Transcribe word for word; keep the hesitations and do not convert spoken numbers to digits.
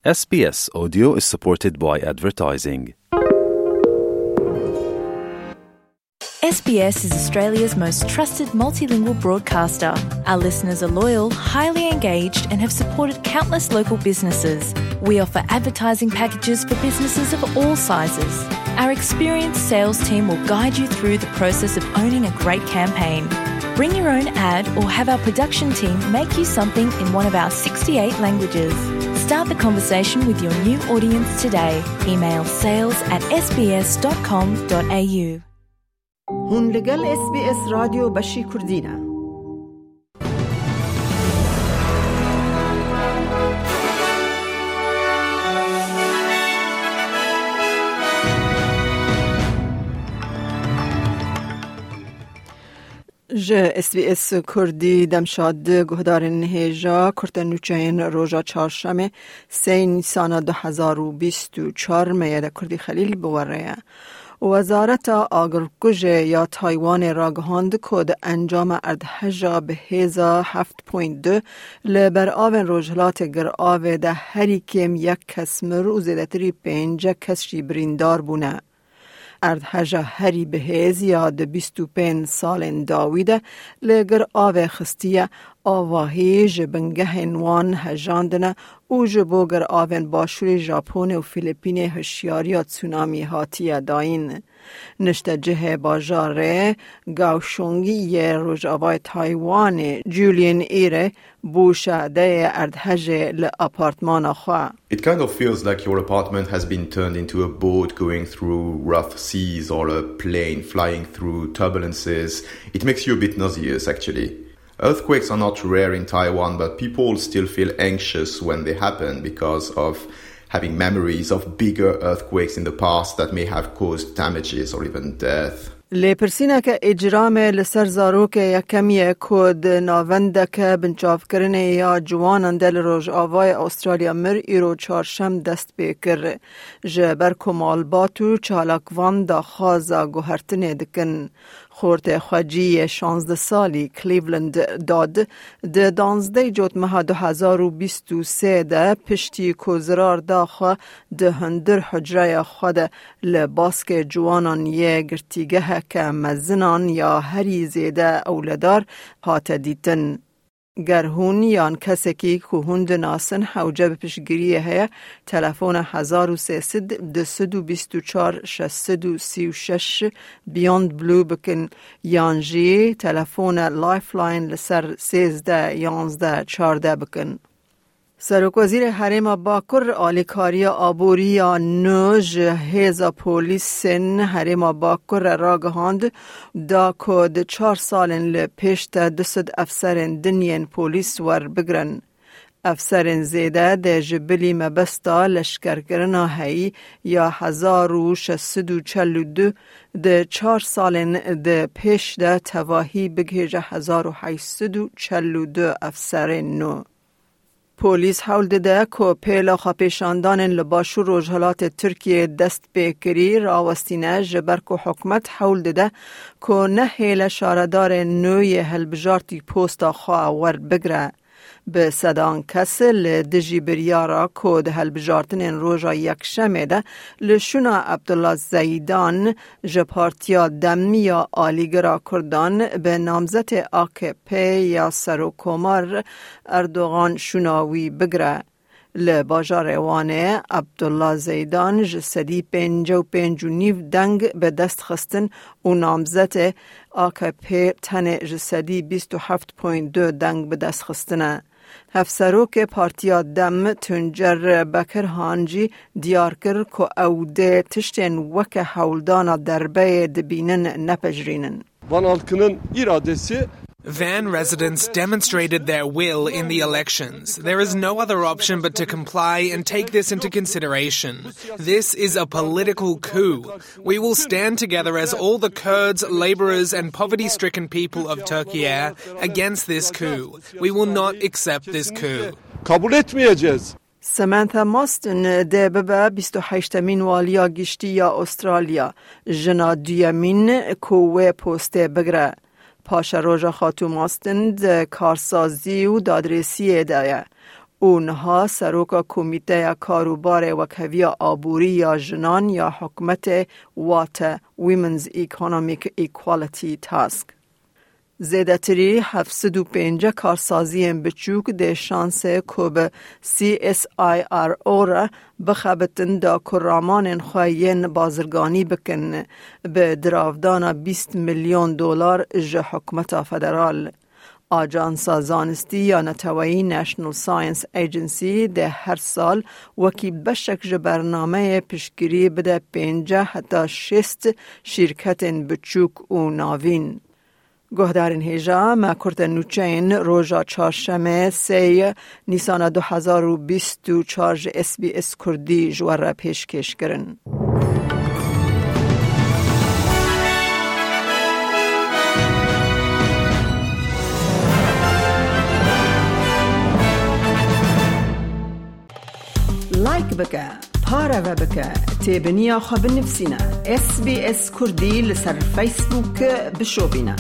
S B S Audio is supported by advertising. S B S is Australia's most trusted multilingual broadcaster. Our listeners are loyal, highly engaged, and have supported countless local businesses. We offer advertising packages for businesses of all sizes. Our experienced sales team will guide you through the process of owning a great campaign. Bring your own ad or have our production team make you something in one of our sixty-eight languages. Start the conversation with your new audience today. Email sales at S B S dot com dot A U. Hûn li gel S B S Radyo Beşî Kurdî ne. Ji S B S Kurdî demşad guhdarên hêja kurte nûçeyên roja çarşemê sê Nîsana du hezar û bîst û çar me ye de Kurdî Xelîl bi we re ye. Wezareta Agirkujê ya Taywanê ragihand ku di encama erdheja bi hêza heft point du li beravên Rojhilatê Giravê de herî kêm yek kes mir û zêdetirî pêncî kes jî birîndar bûne. Erdheja herî bi hêz ya di bîst û pênc salên dawî de li Giravê xistiye, avahî ji bingehên wan hejandine û ji bo Giravên Başûrê Japonê û Filipînê hişyariya tsunamî hatiye dayîn. Niştecihê bajarê Kaohsiung yê rojavayê Taywanê, Julian Ire, bû şadeyê erdhejê li apartmana xwe. It kind of feels like your apartment has been turned into a boat going through rough seas or a plane flying through turbulences. It makes you a bit nauseous, actually. Earthquakes are not rare in Taiwan, but people still feel anxious when they happen because of having memories of bigger earthquakes in the past that may have caused damages or even death. Lêpirsîneke îcramê li ser zarokê yekem ye ku di navendeke binçavkirinê ya ciwanan de li Rojavayê Astralya mir îro çarşem dest pê kir. Ji ber ku malbat û çalakvan daxwaza guhertinê dikin. Xortê xwecî yê şazdeh salî Cleveland Dodd di danzdeh Cotmeha du hezar û bîst û sê de piştî ku zirar da xwe di hundir hucreya xwe de li baskê ciwanan yê girtîgeheke mezinan ya herî zêde ewledar hate dîtin. Ger hûn yan kesekî ku hûn dinasin hewce bi piştgiriyê heye, telefona hezar û sê sed, du sed û bîst û çar, şeş sed û sî û şeş Beyond Blue bikin, yan jî telefona Lifeline li ser sêzdeh yanzdeh çardeh bikin. Serokwezîrê Herêma Bakur alîkariya aborî ya nû ji hêza polîsên Herêma Bakur re ragihand, da ku di çar salên li pêş de du sed efserên din yên polîs werbigirin. Efserên zêde dê ji bilî mebesta leşkerkirina heyî ya hezar û şeş sed û çel û du di çar salên di pêş de tevahî bigihêje hezar û heyşt sed û çel û du efserên nû. Polîs hewl dide ku pêla xwepêşandanên li başûr rojhilatê Tirkiyê dest pê kirî rawestîne, ji ber ku hikûmet hewl dide ku nehêle şaredarên nû yê hilbijartî posta xwe werbigire. Bi sedan kes li dijî biryara ku di hilbijartinên roja Yekşemê de li şûna Abdullah Zeydan ji Partiya Dem ya Alîgira Kurdan bi namzetê A K P ya Serokkomar Erdogan şûna wî bigire. Li bajarê Wanê Abdullah Zeydan ji sedî pêncî û pênc û nîv deng bi dest xistin û namzetê A K P tenê ji sedî bîst û heft point du deng bi dest xistine. Hevserokê Partiya Dem Tuncer Bekirhan jî diyar kir ku ew dê tiştên weke hewldana derbeyê dibînin nepejirînin. Van halkının iradesi Van residents demonstrated their will in the elections. There is no other option but to comply and take this into consideration. This is a political coup. We will stand together as all the Kurds, labourers and poverty-stricken people of Turkey against this coup. We will not accept this coup. Kabul etmeyeceğiz. Samantha Mostyn dê bibe bîst û heştemîn waliya giştî ya Australya, jina duyemîn ku wê postê bigire. Paşeroja Xatû Mostyn di karsazî û dadrêsiyê de ye. û niha seroka Komîteya Karûbarê Wekheviya Aborî ya Jinan ya hikûmetê, wate Women's Economic Equality Task. Zêdetirî heft sed û pêncî karsaziyên biçûk dê şansê ku bi C S I R O re bixebitin da ku ramanên xwe yên bazirganî bikin, bi diravdana bîst milyon dolar ji hikûmeta federal. Ajansa Zanistî ya Neteweyî National Science Agency dê her sal wekî beşek ji bernameyê piştgirî bide pêncî heta şêst şîrketên biçûk û navîn. Guhdarên hêja me kurte nûçeyên roja çarşemê sê Nîsana du hezar û bîst û çar ji S B S Kurdî ji we re pêşkêş kirin. Like bike, pareve bike, têbiniya xwe binivîsîne. S B S Kurdî li ser Facebook bişopîne.